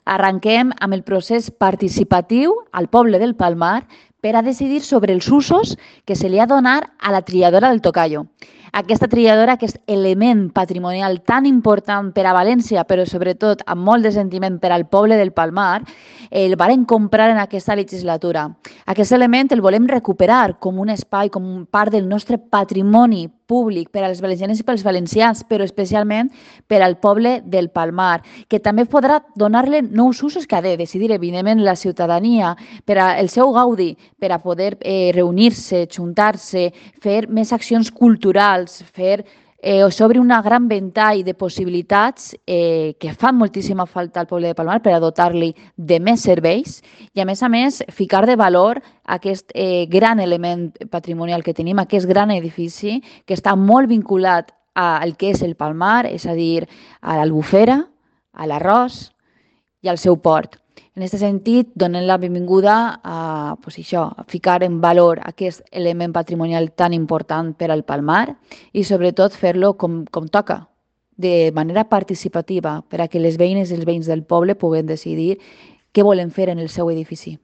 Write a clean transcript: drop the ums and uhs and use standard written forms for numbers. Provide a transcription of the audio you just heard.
Arrenquem amb el procés participatiu al poble del Palmar per a decidir sobre els usos que se li ha donat a la trilladora del Tocayo. Aquesta trilladora, aquest element patrimonial tan important per a València, però sobretot amb molt de sentiment per al poble del Palmar, el varen comprar en aquesta legislatura. Aquest element el volem recuperar com un espai, com part del nostre patrimoni públic per als valencians i pels valencians, però especialment per al poble del Palmar, que també podrà donar-li nous usos que ha de decidir, evidentment, la ciutadania per al seu gaudi, per a poder reunir-se, juntar-se, fer més accions culturals, s'obre una gran ventall de possibilitats que fan moltíssima falta al poble de Palmar per a dotar-li de més serveis i, a més, ficar de valor aquest gran element patrimonial que tenim, aquest gran edifici que està molt vinculat al que és el Palmar, és a dir, a l'Albufera, a l'arròs i al seu port. En aquest sentit, donem la benvinguda a ficar en valor aquest element patrimonial tan important per al Palmar i sobretot fer-lo com toca, de manera participativa, per a que les veïnes i els veïns del poble puguen decidir què volen fer en el seu edifici.